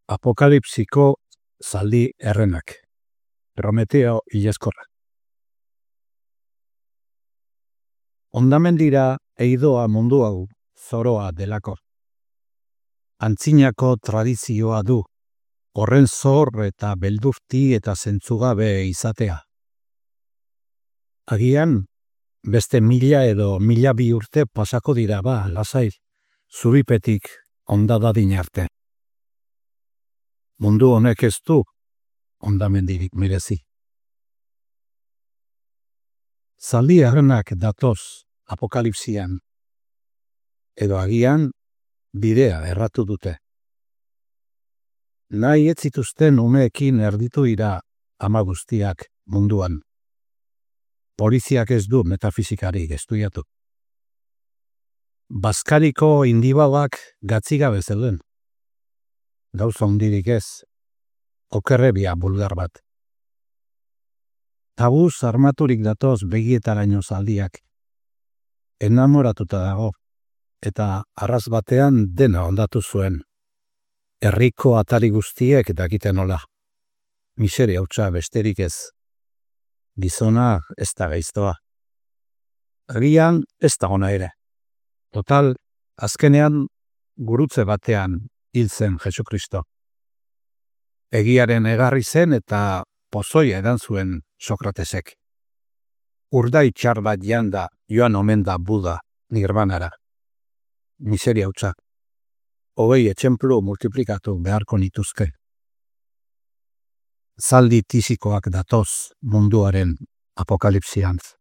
Apokalipsiko zaldi errenak. Prometeo hilezkorra. Ondamendira eidoa mundu hau zoroa delako. Antzinako tradizioa du, horren zor eta beldurti eta zentzugabe izatea. Agian, beste 1000 edo 1002 urte pasako dira lasai, zuripetik ondadadin arte. Mundu honek ez du ondamendirik merezi. Zaldi errenak datoz apokalipsian, edo agian bidea erratu dute. Nahi ez zituzten umeekin erditu dira ama guztiak munduan. Poliziak ez du metafizikari estudiatu. Bazkariko indibalak gatzigabe zeuden. Gauza hundirik ez, okerrebia bulgar bat. Tabuz armaturik datoz begietaraino zaldiak. Enamoratuta dago, eta arras batean dena ondatu zuen. Herriko atari guztiek dakiten nola. Miseria hutsa besterik ez. Gizona ez da gaiztoa. Agian ez da ona ere. Total, azkenean gurutze batean hil zen Jesukristo. Egiaren egarri zen eta pozoia edan zuen Sokratesek. Urdai txar bat janda joan omen da Buda nirvanara. Miseria hutsa. 20 etxemplu multiplikatu beharko nituzke. Zaldi tisikoak datoz munduaren apokalipsiantz.